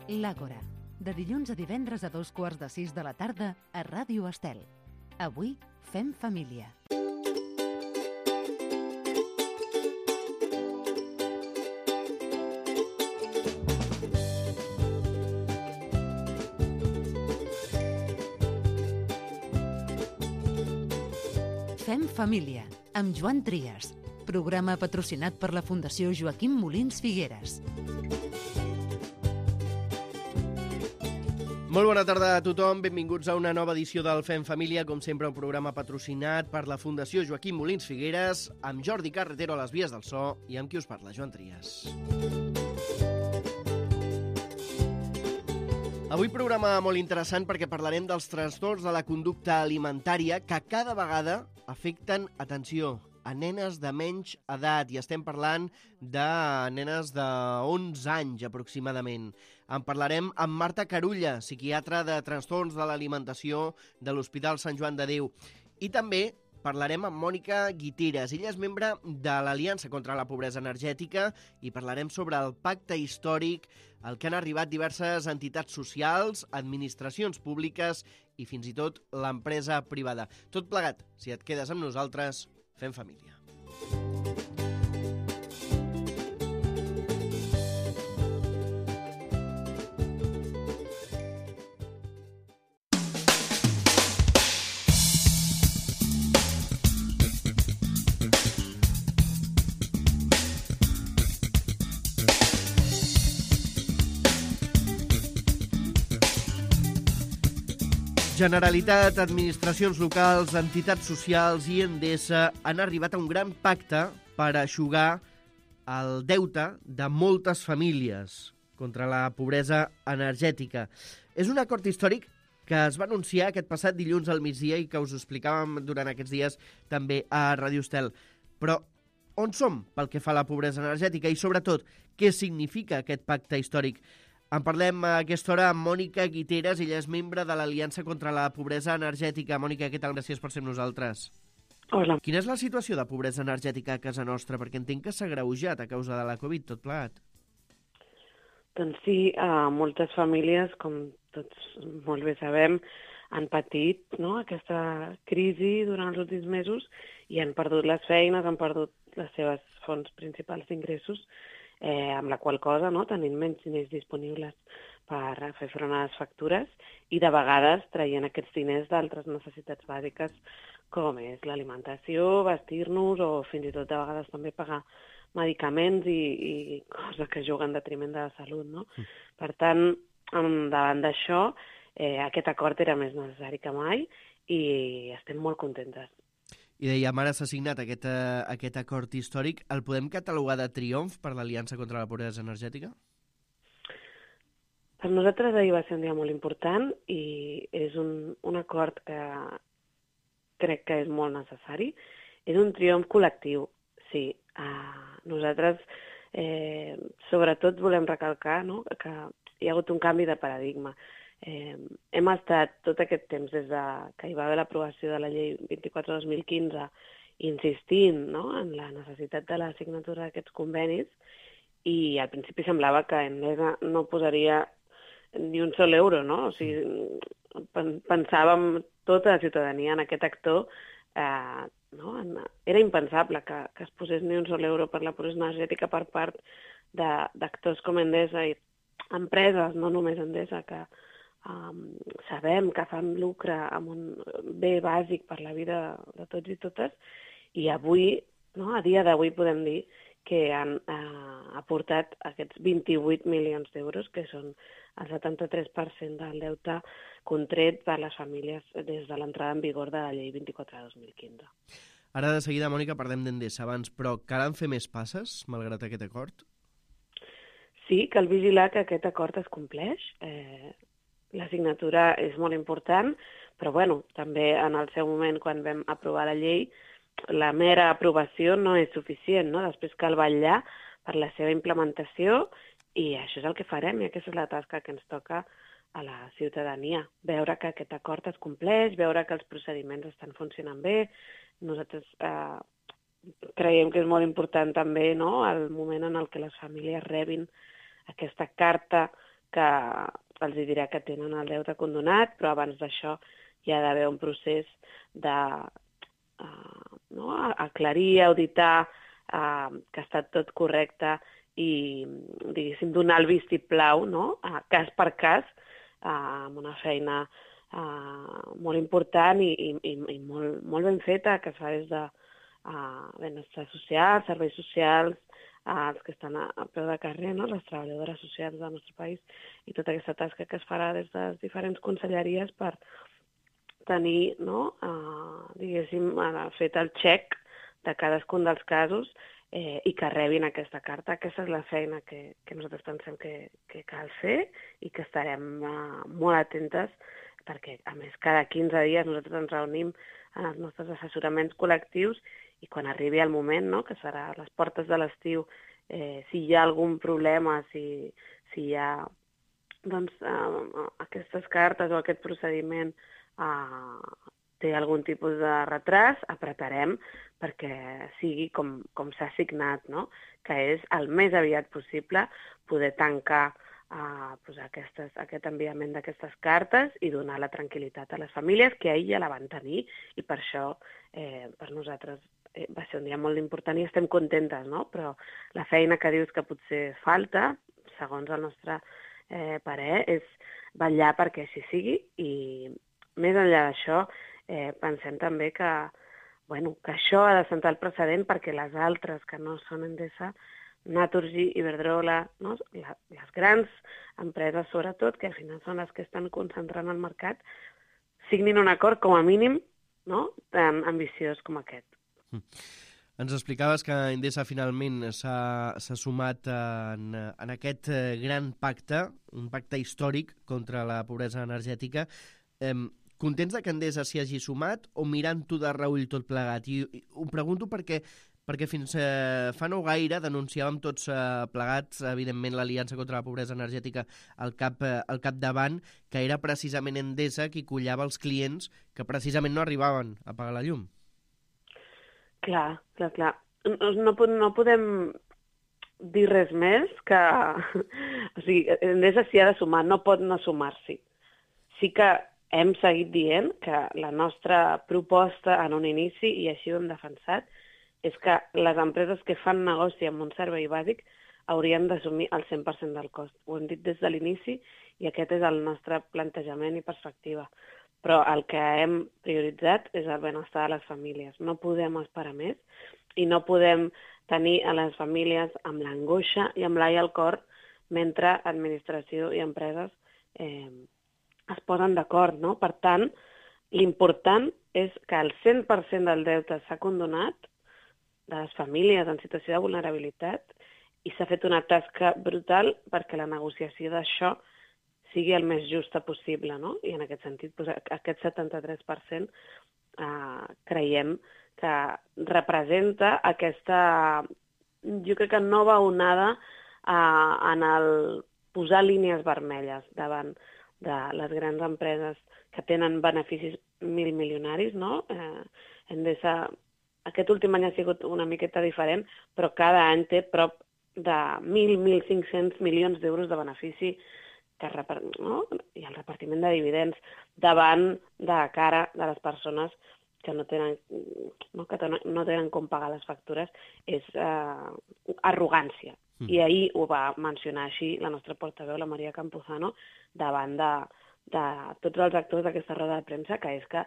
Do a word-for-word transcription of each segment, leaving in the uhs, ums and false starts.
L'Àgora, de dilluns a divendres a dos quarts de sis de la tarda a Ràdio Estel. Avui fem família. Fem família, amb Joan Trias, programa patrocinat per la Fundació Joaquim Molins Figueres. Molt bona tarda a tothom, benvinguts a una nova edició del Fem Família, com sempre un programa patrocinat per la Fundació Joaquim Molins Figueres, amb Jordi Carretero a les vies del so i amb qui us parla, Joan Trias. Avui programa molt interessant perquè parlarem dels trastorns de la conducta alimentària que cada vegada afecten, atenció, a nenes de menys edat, i estem parlant de nenes d'onze anys aproximadament. En parlarem amb Marta Carulla, psiquiatra de trastorns de l'alimentació de l'Hospital Sant Joan de Déu. I també parlarem amb Mònica Guiteras. Ella és membre de l'Aliança contra la Pobresa Energètica i parlarem sobre el pacte històric al que han arribat diverses entitats socials, administracions públiques i fins i tot l'empresa privada. Tot plegat, si et quedes amb nosaltres, fem família. Generalitat, administracions locals, entitats socials i Endesa han arribat a un gran pacte per eixugar el deute de moltes famílies contra la pobresa energètica. És un acord històric que es va anunciar aquest passat dilluns al migdia i que us explicàvem durant aquests dies també a Ràdio Estel. Però on som pel que fa a la pobresa energètica i, sobretot, què significa aquest pacte històric? En parlem a aquesta hora amb Mònica Guiteras, ella és membre de l'Aliança contra la Pobresa Energètica. Mònica, què tal? Gràcies per ser amb nosaltres. Hola. Quina és la situació de pobresa energètica a casa nostra? Perquè entenc que s'ha agreujat a causa de la Covid, tot plegat. Doncs sí, uh, moltes famílies, com tots molt bé sabem, han patit, no?, aquesta crisi durant els últims mesos i han perdut les feines, han perdut les seves fonts principals d'ingressos, Eh, amb la qual cosa, no, tenint menys diners disponibles per fer front a les factures i de vegades traient aquests diners d'altres necessitats bàsiques com és l'alimentació, vestir-nos o fins i tot de vegades també pagar medicaments i, i coses que juguen en detriment de la salut, no? Mm. Per tant, davant d'això, eh, aquest acord era més necessari que mai i estem molt contentes. I dèiem, ara s'ha signat aquest, uh, aquest acord històric. El podem catalogar de triomf per l'Aliança contra la Pobresa Energètica? Per nosaltres ahir va ser un dia molt important i és un, un acord que crec que és molt necessari. És un triomf col·lectiu, sí. Uh, nosaltres, eh, sobretot, volem recalcar, no?, que hi ha hagut un canvi de paradigma. Eh, hem estat tot aquest temps, des de que hi va haver l'aprovació de la llei vint-i-quatre dos mil quinze, insistint, no?, en la necessitat de la signatura d'aquests convenis i al principi semblava que Endesa no posaria ni un sol euro, no? O sigui, pensàvem tota la ciutadania en aquest actor, eh, no? Era impensable que, que es posés ni un sol euro per la pobresa energètica per part d'actors com Endesa i empreses, no només Endesa, que Um, sabem que fan lucre amb un bé bàsic per la vida de tots i totes, i avui, no, a dia d'avui podem dir que han uh, aportat aquests vint-i-vuit milions d'euros, que són el setanta-tres per cent del deute contret per les famílies des de l'entrada en vigor de la llei vint-i-quatre dos mil quinze. Ara de seguida, Mònica, parlem d'Endesa abans, però calen fer més passes, malgrat aquest acord? Sí, cal vigilar que aquest acord es compleix. Eh, La signatura és molt important, però bueno, també en el seu moment, quan vam aprovar la llei, la mera aprovació no és suficient, no? Després cal vetllar per la seva implementació i això és el que farem i aquesta és la tasca que ens toca a la ciutadania. Veure que aquest acord es compleix, veure que els procediments estan funcionant bé. Nosaltres eh, creiem que és molt important també, no?, el moment en el què les famílies rebin aquesta carta que els dirà que tenen el deute condonat, però abans d'això hi ha d'haver un procés de uh, no, aclarir, auditar uh, que ha estat tot correcte i, diguéssim, donar el vistiplau, no? Uh, cas per cas, uh, amb una feina uh, molt important i, i, i molt, molt ben feta, que es fa des de uh, benestar social, serveis socials, uh, els que estan a, a peu de carrer, no? Les treballadores socials del nostre país, i tota aquesta tasca que es farà des de les diferents conselleries per tenir, no? uh, diguéssim, uh, fet el check de cadascun dels casos eh, i que rebin aquesta carta. Aquesta és la feina que, que nosaltres pensem que, que cal fer i que estarem uh, molt atentes perquè, a més, cada quinze dies nosaltres ens reunim en els nostres assessoraments col·lectius i quan arribi el moment, no?, que serà a les portes de l'estiu, eh, si hi ha algun problema, si, si hi ha doncs, uh, aquestes cartes o aquest procediment uh, té algun tipus de retras, apretarem perquè sigui com, com s'ha signat, no? Que és el més aviat possible poder tancar uh, pues aquestes, aquest enviament d'aquestes cartes i donar la tranquil·litat a les famílies que ahir ja la van tenir i per això eh, per nosaltres eh, va ser un dia molt important i estem contentes, no? Però la feina que dius que potser falta, segons el nostre eh, parer, és vetllar perquè així sigui i més enllà d'això eh, pensem també que, bueno, que això ha de sentar el precedent perquè les altres que no són Endesa, Naturgy, Iberdrola, no? Les grans empreses sobretot, que al final són les que estan concentrant el mercat, signin un acord com a mínim, no?, tan ambiciós com aquest. Mm. Ens explicaves que Endesa finalment s'ha sumat en, en aquest gran pacte, un pacte històric contra la pobresa energètica. Eh, Contents que Endesa s'hi hagi sumat o mirant-ho de reull tot plegat? I, i ho pregunto perquè, perquè fins eh, fa no gaire denunciàvem tots eh, plegats, evidentment, l'Aliança contra la Pobresa Energètica al, cap, eh, al capdavant, que era precisament Endesa qui collava els clients que precisament no arribaven a pagar la llum. Clar, clar, clar. No, no, no podem dir res més que... O sigui, Endesa s'hi ha de sumar, no pot no sumar-s'hi. Sí que hem seguit dient que la nostra proposta en un inici, i així ho hem defensat, és que les empreses que fan negoci amb un servei bàsic haurien d'assumir el cent per cent del cost. Ho hem dit des de l'inici i aquest és el nostre plantejament i perspectiva. Però el que hem prioritzat és el benestar de les famílies. No podem esperar més i no podem tenir a les famílies amb l'angoixa i amb l'ai al cor mentre administració i empreses eh, es posen d'acord, no? Per tant, l'important és que el cent per cent del deute s'ha condonat de les famílies en situació de vulnerabilitat i s'ha fet una tasca brutal perquè la negociació d'això sigui el més justa possible, no? I en aquest sentit, doncs, aquest setanta-tres per cent eh, creiem que representa aquesta, jo crec que nova onada eh, en el posar línies vermelles davant de les grans empreses que tenen beneficis mil milionaris, no? Eh, Endesa, aquest últim any ha sigut una miqueta diferent, però cada any té prop de mil, mil cinc-cents milions d'euros de benefici que no? I el repartiment de dividends davant de cara de les persones que no tenen, no, que no tenen com pagar les factures, és eh, arrogància. Mm. I ahir ho va mencionar així la nostra portaveu, la Maria Campuzano, davant de, de tots els actors d'aquesta roda de premsa, que és que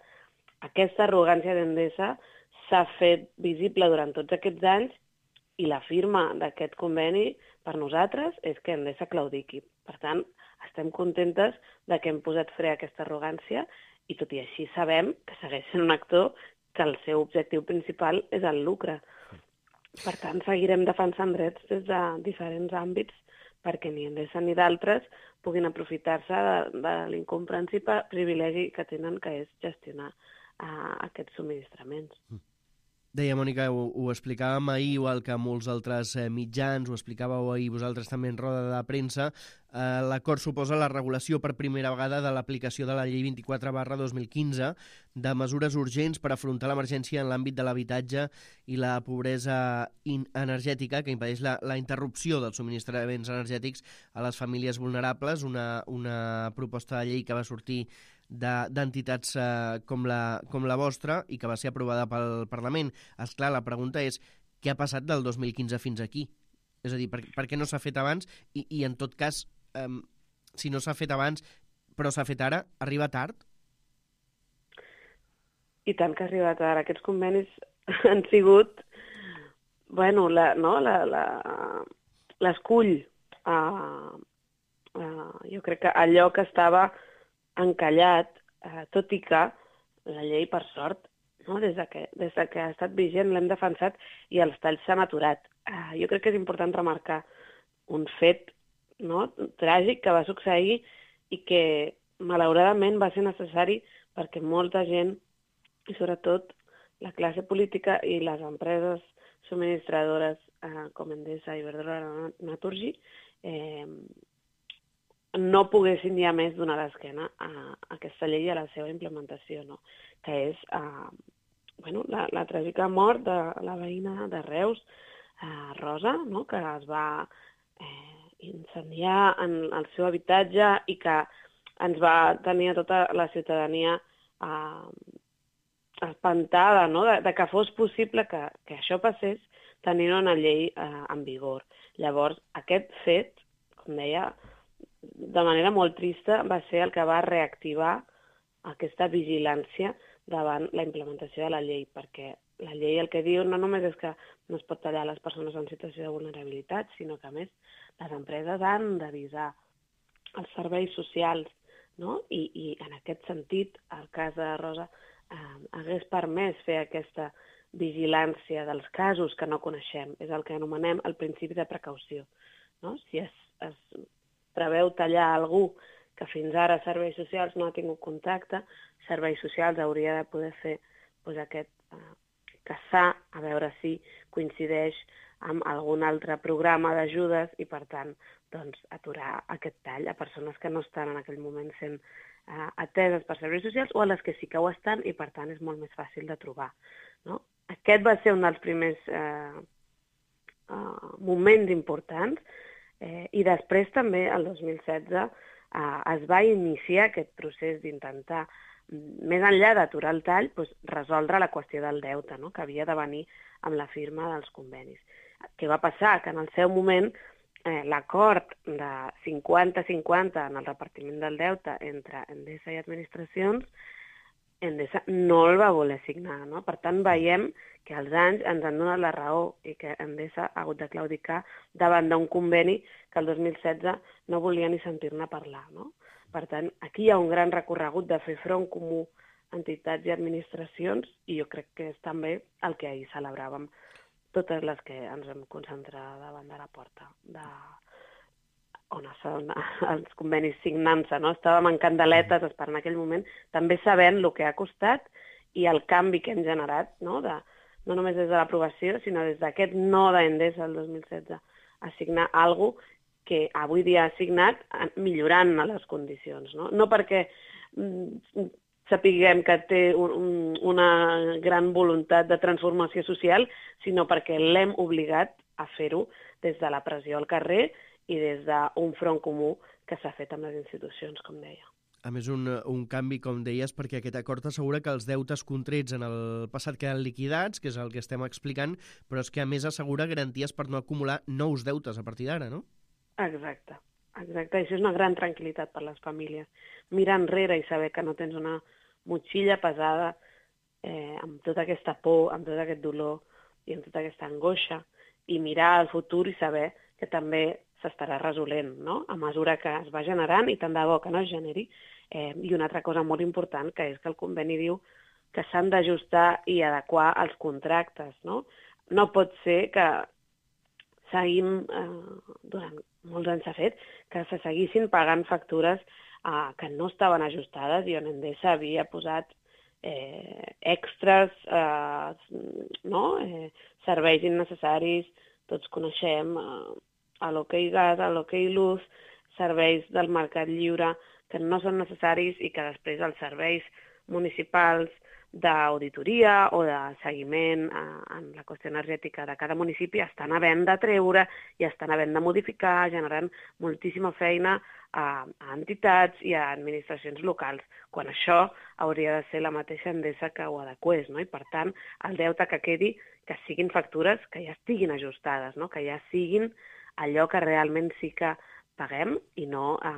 aquesta arrogància d'Endesa s'ha fet visible durant tots aquests anys i la firma d'aquest conveni per nosaltres és que Endesa claudiqui. Per tant, estem contentes de que hem posat fre a aquesta arrogància i tot i així sabem que segueix sent un actor que el seu objectiu principal és el lucre. Per tant, seguirem defensant drets des de diferents àmbits perquè ni Endesa ni d'altres puguin aprofitar-se de, de l'incomprensible privilegi que tenen, que és gestionar uh, aquests subministraments. Deia, Mònica, ho, ho explicàvem ahir, igual que molts altres eh, mitjans, ho explicàveu ahir vosaltres també en roda de premsa, eh, l'acord suposa la regulació per primera vegada de l'aplicació de la llei vint-i-quatre barra dos mil quinze de mesures urgents per afrontar l'emergència en l'àmbit de l'habitatge i la pobresa energètica que impedeix la, la interrupció dels subministraments energètics a les famílies vulnerables, una, una proposta de llei que va sortir d'entitats eh, com, la, com la vostra i que va ser aprovada pel Parlament. Esclar, la pregunta és què ha passat del dos mil quinze fins aquí? És a dir, per, per què no s'ha fet abans? I, i en tot cas, eh, si no s'ha fet abans però s'ha fet ara, arriba tard? I tant que ha arribat ara. Aquests convenis han sigut, bueno, la, no, la, la, l'escull. Uh, uh, jo crec que allò que estava encallat, eh, tot i que la llei, per sort, no? des, de que, des de que ha estat vigent l'hem defensat i els talls s'han aturat. Eh, jo crec que és important remarcar un fet, no? tràgic que va succeir i que malauradament va ser necessari perquè molta gent, i sobretot la classe política i les empreses subministradores eh, com Endesa i Iberdrola Naturgy, eh, no poguessin ja més donar l'esquena a, a aquesta llei i a la seva implementació, no? que és uh, bueno, la, la tràgica mort de la veïna de Reus, uh, Rosa, no? que es va eh, incendiar en el seu habitatge i que ens va tenir a tota la ciutadania uh, espantada, no? de, de que fos possible que, que això passés tenint una llei uh, en vigor. Llavors, aquest fet, com deia, de manera molt trista, va ser el que va reactivar aquesta vigilància davant la implementació de la llei, perquè la llei el que diu no només és que no es pot tallar les persones en situació de vulnerabilitat, sinó que, a més, les empreses han d'avisar els serveis socials, no? I, i en aquest sentit, el cas de Rosa eh, hagués permès fer aquesta vigilància dels casos que no coneixem. És el que anomenem el principi de precaució. No? Si es, es preveu tallar algú que fins ara Serveis Socials no ha tingut contacte, Serveis Socials hauria de poder fer doncs, aquest eh, caçar, a veure si coincideix amb algun altre programa d'ajudes i, per tant, doncs, aturar aquest tall a persones que no estan en aquell moment sent eh, ateses per Serveis Socials o a les que sí que ho estan i, per tant, és molt més fàcil de trobar. No? Aquest va ser un dels primers eh, eh, moments importants. Eh, I després també, el dos mil setze, eh, es va iniciar aquest procés d'intentar, més enllà d'aturar el tall, doncs, resoldre la qüestió del deute, no? que havia de venir amb la firma dels convenis. Què va passar? Que en el seu moment eh, l'acord de cinquanta cinquanta en el repartiment del deute entre Endesa i administracions, Endesa no el va voler signar. No? Per tant, veiem que els anys ens han donat la raó i que Endesa ha hagut de claudicar davant d'un conveni que el dos mil setze no volia ni sentir-ne parlar. No? Per tant, aquí hi ha un gran recorregut de fer front comú entitats i administracions i jo crec que és també el que ahir celebràvem totes les que ens vam concentrar davant de la porta de on estan els convenis signant-se, no? Estàvem en candeletes esperant aquell moment, també sabent el que ha costat i el canvi que hem generat, no? De, no només des de l'aprovació, sinó des d'aquest no d'Endesa el dos mil setze a signar alguna cosa que avui dia ha signat millorant les condicions. No, no perquè mm, sapiguem que té un, una gran voluntat de transformació social, sinó perquè l'hem obligat a fer-ho des de la pressió al carrer i des d'un front comú que s'ha fet amb les institucions, com deia. A més, un, un canvi, com deies, perquè aquest acord assegura que els deutes contrets en el passat queden liquidats, que és el que estem explicant, però és que a més assegura garanties per no acumular nous deutes a partir d'ara, no? Exacte, exacte. Això és una gran tranquil·litat per les famílies. Mirar enrere i saber que no tens una motxilla pesada eh, amb tota aquesta por, amb tot aquest dolor i amb tota aquesta angoixa i mirar al futur i saber que també s'estarà resolent, no? A mesura que es va generant i tant de bo que no es generi. Eh, I una altra cosa molt important, que és que el conveni diu que s'han d'ajustar i adequar els contractes, no? No pot ser que seguim, eh, durant molts anys s'ha fet, que se seguissin pagant factures eh, que no estaven ajustades i on Endesa havia posat eh, extras, eh, no? eh, serveis innecessaris, tots coneixem eh, a l'Okey Gas, a l'Okey Luz, serveis del mercat lliure que no són necessaris i que després els serveis municipals d'auditoria o de seguiment en la qüestió energètica de cada municipi estan havent de treure i estan havent de modificar, generant moltíssima feina a, a entitats i a administracions locals, quan això hauria de ser la mateixa Endesa que ho adequés, no? I per tant, el deute que quedi, que siguin factures que ja estiguin ajustades, no? Que ja siguin allò que realment sí que paguem i no eh,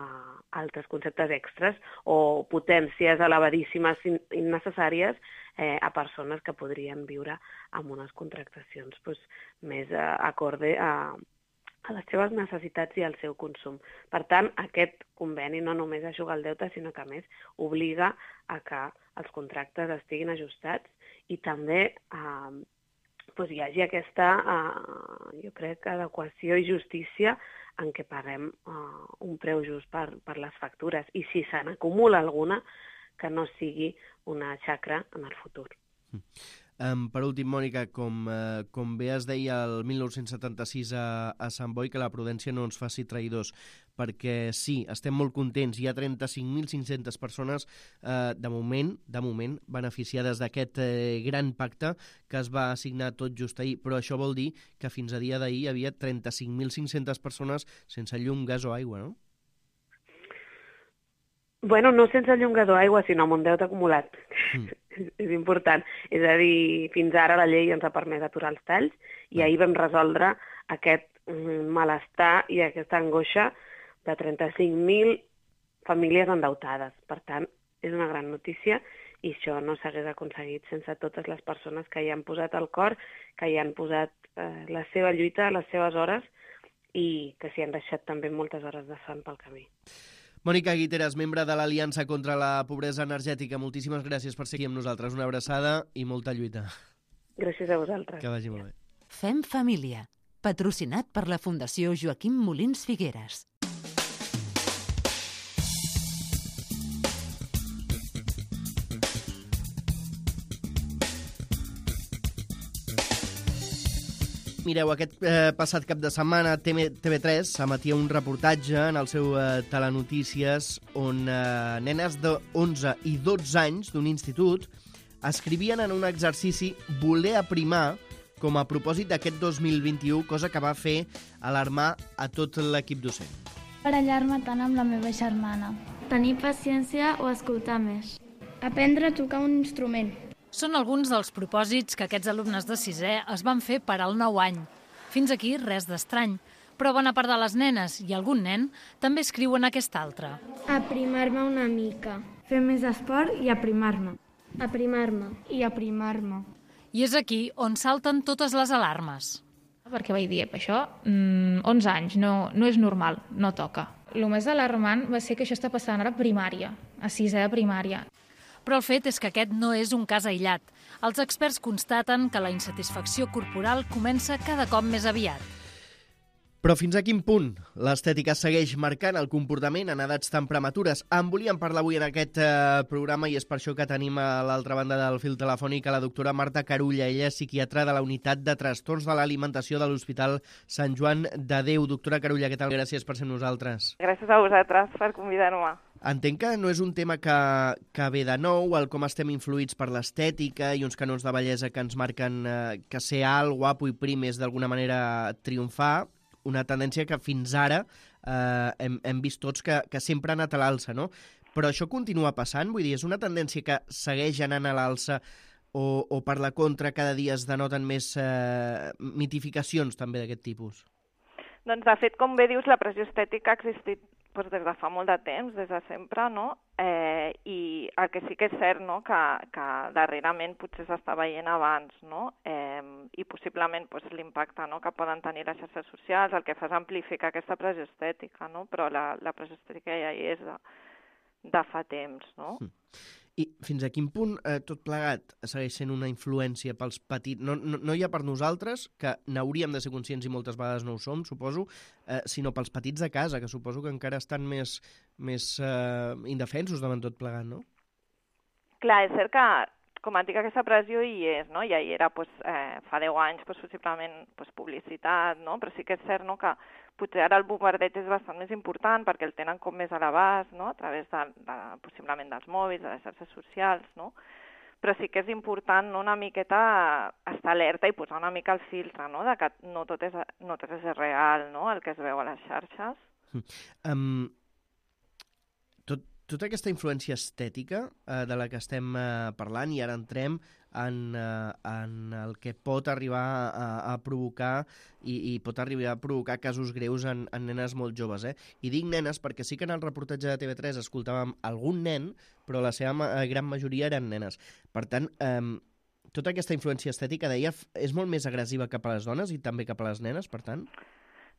altres conceptes extras o potències elevadíssimes innecessàries eh, a persones que podrien viure amb unes contractacions pues, més eh, acorde a, a les seves necessitats i al seu consum. Per tant, aquest conveni no només ajuda el deute, sinó que a més obliga a que els contractes estiguin ajustats i també eh, pues, hi hagi aquesta, eh, jo crec, adequació i justícia en què paguem uh, un preu just per, per les factures i si se n'acumula alguna, que no sigui una xacra en el futur. Mm. Um, per últim, Mònica, com, uh, com bé es deia el mil nou-cents setanta-sis a, a Sant Boi, que la prudència no ens faci traïdors, perquè sí, estem molt contents, hi ha trenta-cinc mil cinc-centes persones uh, de moment de moment beneficiades d'aquest uh, gran pacte que es va assignar tot just ahir, però això vol dir que fins a dia d'ahir hi havia trenta-cinc mil cinc-centes persones sense llum, gas o aigua, no? Bueno, no sense llum, gas o aigua, sinó amb un deute acumulat. Mm. És important. És a dir, fins ara la llei ens ha permès aturar els talls i ahir vam resoldre aquest malestar i aquesta angoixa de trenta-cinc mil famílies endeutades. Per tant, és una gran notícia i això no s'hagués aconseguit sense totes les persones que hi han posat el cor, que hi han posat eh, la seva lluita, les seves hores i que s'hi han deixat també moltes hores de son pel camí. Mònica Guiteras, membre de l'Aliança contra la Pobresa Energètica, moltíssimes gràcies per seguir amb nosaltres. Una abraçada i molta lluita. Gràcies a vosaltres. Que vagi molt bé. Fem família, patrocinat per la Fundació Joaquim Molins Figueres. Mireu, aquest eh, passat cap de setmana T V tres emetia un reportatge en el seu eh, Telenotícies on eh, nenes d'onze i dotze anys d'un institut escrivien en un exercici voler aprimar com a propòsit d'aquest dos mil vint-i-u, cosa que va fer alarmar a tot l'equip docent. Barallar-me tant amb la meva germana. Tenir paciència o escoltar més. Aprendre a tocar un instrument. Són alguns dels propòsits que aquests alumnes de sisè es van fer per al nou any. Fins aquí res d'estrany, però bona part de les nenes i algun nen també escriuen aquest altre. Aprimar-me una mica. Fer més esport i aprimar-me. Aprimar-me. I aprimar-me. I és aquí on salten totes les alarmes. Perquè vaig dir, això, mm, onze anys, no, no és normal, no toca. El més alarmant va ser que això està passant ara a primària, a sisè de primària. Però el fet és que aquest no és un cas aïllat. Els experts constaten que la insatisfacció corporal comença cada cop més aviat. Però fins a quin punt l'estètica segueix marcant el comportament en edats tan prematures? En volíem parlar avui en aquest eh, programa i és per això que tenim a l'altra banda del fil telefònic a la doctora Marta Carulla. Ella és psiquiatra de la unitat de trastorns de l'alimentació de l'Hospital Sant Joan de Déu. Doctora Carulla, què tal? Gràcies per ser amb nosaltres. Gràcies a vosaltres per convidar-me. Entenc que no és un tema que, que ve de nou, el com estem influïts per l'estètica i uns canons de bellesa que ens marquen eh, que ser alt, guapo i prim és d'alguna manera triomfar, una tendència que fins ara eh, hem, hem vist tots que, que sempre ha anat a l'alça, no? Però això continua passant? Vull dir, és una tendència que segueix anant a l'alça o, o per la contra cada dia es denoten més eh, mitificacions també d'aquest tipus? Doncs, de fet, com bé dius, la pressió estètica ha existit doncs, des de fa molt de temps, des de sempre, no? Eh, I el que sí que és cert, no?, que, que darrerament potser s'està veient abans, no? Eh, I possiblement doncs, l'impacte, no?, que poden tenir les xarxes socials, el que fa és amplificar aquesta pressió estètica, no? Però la, la pressió estètica ja hi és de, de fa temps, no? Mm. I fins a quin punt eh, tot plegat segueix sent una influència pels petits, no, no, no ja per nosaltres, que n'hauríem de ser conscients i moltes vegades no ho som, suposo, eh, sinó pels petits de casa, que suposo que encara estan més, més eh, indefensos davant tot plegat, no? Clar, és cert que, com et dic, aquesta pressió hi és, no? Ja hi era pues, eh, fa deu anys, pues, possiblement pues, publicitat, no? Però sí que és cert, no?, que potser ara el bombardeig és bastant més important perquè el tenen com més a l'abast, no?, a través de, de, possiblement dels mòbils, de les xarxes socials, no? Però sí que és important, no?, una miqueta estar alerta i posar una mica el filtre, no?, de que no tot és, no tot és real, no?, el que es veu a les xarxes. Um, tot, tota aquesta influència estètica uh, de la que estem uh, parlant, i ara entrem en, uh, en el que pot arribar a, a provocar i, i pot arribar a provocar casos greus en, en nenes molt joves. Eh? I dic nenes perquè sí que en el reportatge de T V tres escoltàvem algun nen, però la seva ma gran majoria eren nenes. Per tant, um, tota aquesta influència estètica, deia, és molt més agressiva cap a les dones i també cap a les nenes, per tant?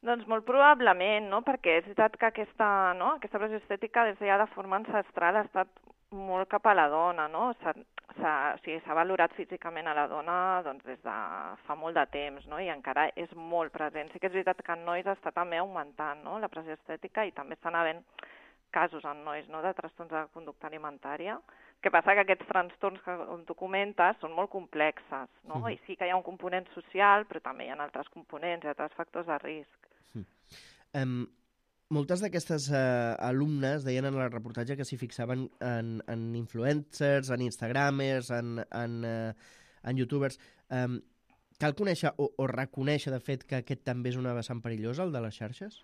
Doncs molt probablement, no? Perquè és veritat que aquesta, no? aquesta pressió estètica des de ja de forma ancestral ha estat molt cap a la dona, no? S'ha o sigui, valorat físicament a la dona doncs, des de fa molt de temps, no? I encara és molt present. Sí que és veritat que en nois està també augmentant, no?, la pressió estètica, i també estan havent casos en nois, no?, de trastorns de conducta alimentària. El que passa que aquests trastorns que tu comentes són molt complexes, no? Uh-huh. I sí que hi ha un component social, però també hi ha altres components i altres factors de risc. Uh-huh. Um, moltes d'aquestes uh, alumnes deien en el reportatge que s'hi fixaven en, en influencers, en instagramers, en, en, uh, en youtubers. Um, cal conèixer o, o reconèixer, de fet, que aquest també és una vessant perillosa, el de les xarxes?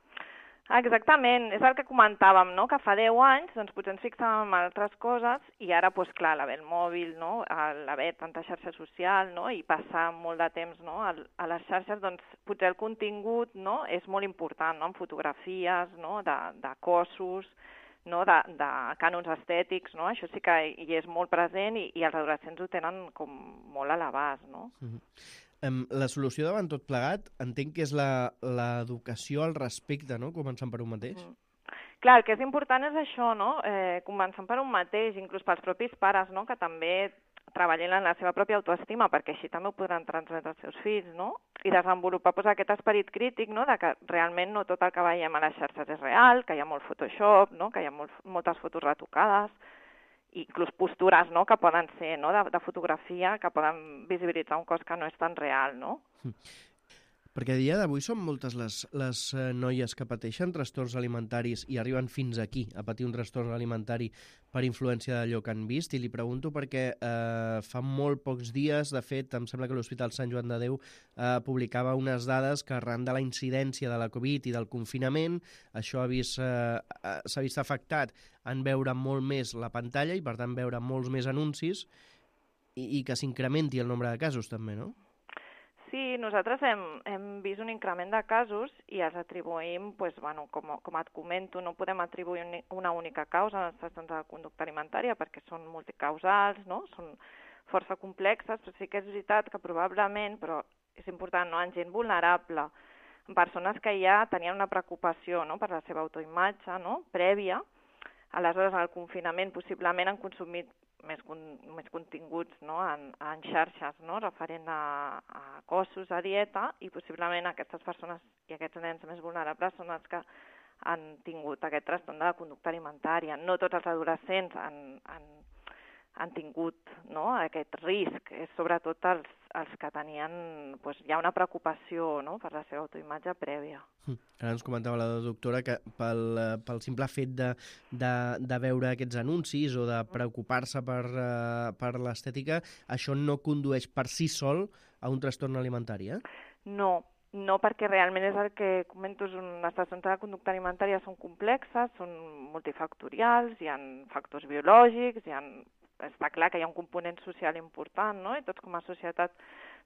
Exactament, és el que comentàvem, no?, que fa deu anys doncs, potser ens fixàvem en altres coses i ara, doncs, clar, l'haver el mòbil, no?, l'haver tanta xarxa social, no?, i passar molt de temps, no?, a, a les xarxes, doncs potser el contingut, no?, és molt important, no?, en fotografies, no?, de, de cossos, no?, de, de cànons estètics, no?, això sí que hi és molt present i, i els adolescents ho tenen com molt a l'abast, no? Mm-hmm. Um, la solució davant tot plegat entenc que és l'educació al respecte, no?, començant per un mateix. Mm. Clar, el que és important és això, no?, eh, començant per un mateix, inclús pels propis pares, no?, que també treballin en la seva pròpia autoestima, perquè així també ho podran transmetre als seus fills, no?, i desenvolupar pues, aquest esperit crític, no?, de que realment no tot el que veiem a les xarxes és real, que hi ha molt Photoshop, no?, que hi ha molt, moltes fotos retocades, inclús postures, no?, que poden ser, no?, de, de fotografia, que poden visibilitzar un cos que no és tan real, no? Perquè a dia d'avui són moltes les, les eh, noies que pateixen trastorns alimentaris i arriben fins aquí a patir un trastorn alimentari per influència d'allò que han vist, i li pregunto perquè eh, fa molt pocs dies, de fet, em sembla que l'Hospital Sant Joan de Déu eh, publicava unes dades que arran de la incidència de la Covid i del confinament, això ha vist, eh, s'ha vist afectat en veure molt més la pantalla i, per tant, veure molts més anuncis i, i que s'incrementi el nombre de casos també, no? Sí, nosaltres hem, hem vist un increment de casos i els atribuïm, pues, bueno, com, com et comento, no podem atribuir una única causa als trastorns de conducta alimentària perquè són multicausals, no? Són força complexes, però sí que és veritat que probablement, però és important, no?, en gent vulnerable, en persones que ja tenien una preocupació, no?, per la seva autoimatge, no?, prèvia, aleshores en el confinament possiblement han consumit més, con, més continguts, no?, en, en xarxes, no?, referent a, a cossos, a dieta, i possiblement aquestes persones i aquests nens més vulnerables són els que han tingut aquest trastorn de la conducta alimentària. No tots els adolescents han, han, han tingut, no?, aquest risc, és sobretot els, els que tenien, doncs, hi ha una preocupació, no?, per la seva autoimatge prèvia. Ara ens comentava la doctora que pel, pel simple fet de, de, de veure aquests anuncis o de preocupar-se per, uh, per l'estètica, això no condueix per si sol a un trastorn alimentari, eh? No, no, perquè realment és el que comento, les trastorns de la conducta alimentària són complexes, són multifactorials, hi ha factors biològics, hi ha, està clar que hi ha un component social important, no?, i tots com a societat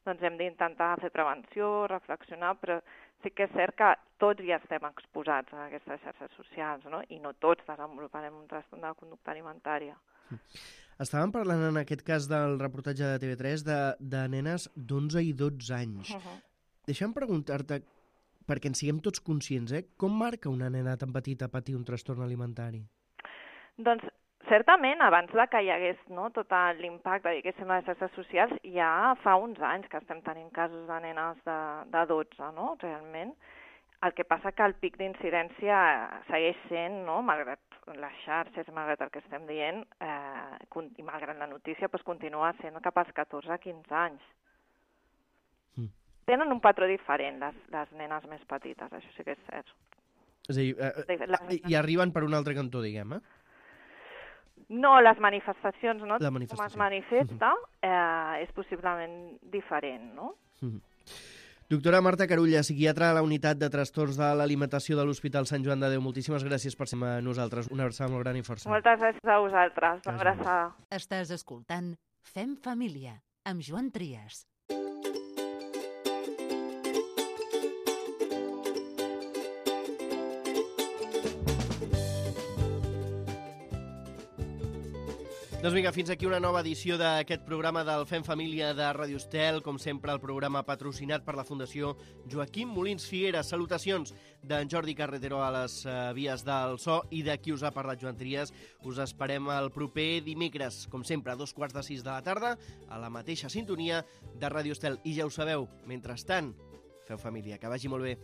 doncs hem d'intentar fer prevenció, reflexionar, però sí que és cert que tots ja estem exposats a aquestes xarxes socials, no?, i no tots desenvoluparem un trastorn de la conducta alimentària. Estàvem parlant en aquest cas del reportatge de T V tres de, de nenes d'onze i dotze anys. Uh-huh. Deixa'm preguntar-te, perquè en siguem tots conscients, eh? Com marca una nena tan petita patir un trastorn alimentari? Doncs certament, abans de que hi hagués, no, tot l'impacte, diguéssim, a les xarxes socials, ja fa uns anys que estem tenint casos de nenes de, de dotze, no?, realment. El que passa que el pic d'incidència segueix sent, no?, malgrat les xarxes, malgrat el que estem dient, eh, i malgrat la notícia, doncs continua sent cap als catorze a quinze anys. Mm. Tenen un patró diferent, les, les nenes més petites, això sí que és cert. És a dir, eh, les... i arriben per un altre cantó, diguem, eh? No, les manifestacions, no? La manifestació. Com es manifesta, eh, és possiblement diferent, no? Mm. Doctora Marta Carulla, psiquiatra a la unitat de trastorns de l'alimentació de l'Hospital Sant Joan de Déu. Moltíssimes gràcies per ser amb nosaltres. Una abraçada molt gran i força. Moltes gràcies a vosaltres. Una abraçada. Estàs escoltant Fem Família, amb Joan Trias. Doncs vinga, fins aquí una nova edició d'aquest programa del Fem Família de Ràdio Estel. Com sempre, el programa patrocinat per la Fundació Joaquim Molins Figueras. Salutacions d'en Jordi Carretero a les uh, vies del so i de qui us ha parlat, Joan Trias. Us esperem el proper dimecres, com sempre, a dos quarts de sis de la tarda, a la mateixa sintonia de Ràdio Estel. I ja ho sabeu, mentrestant, feu família. Que vagi molt bé.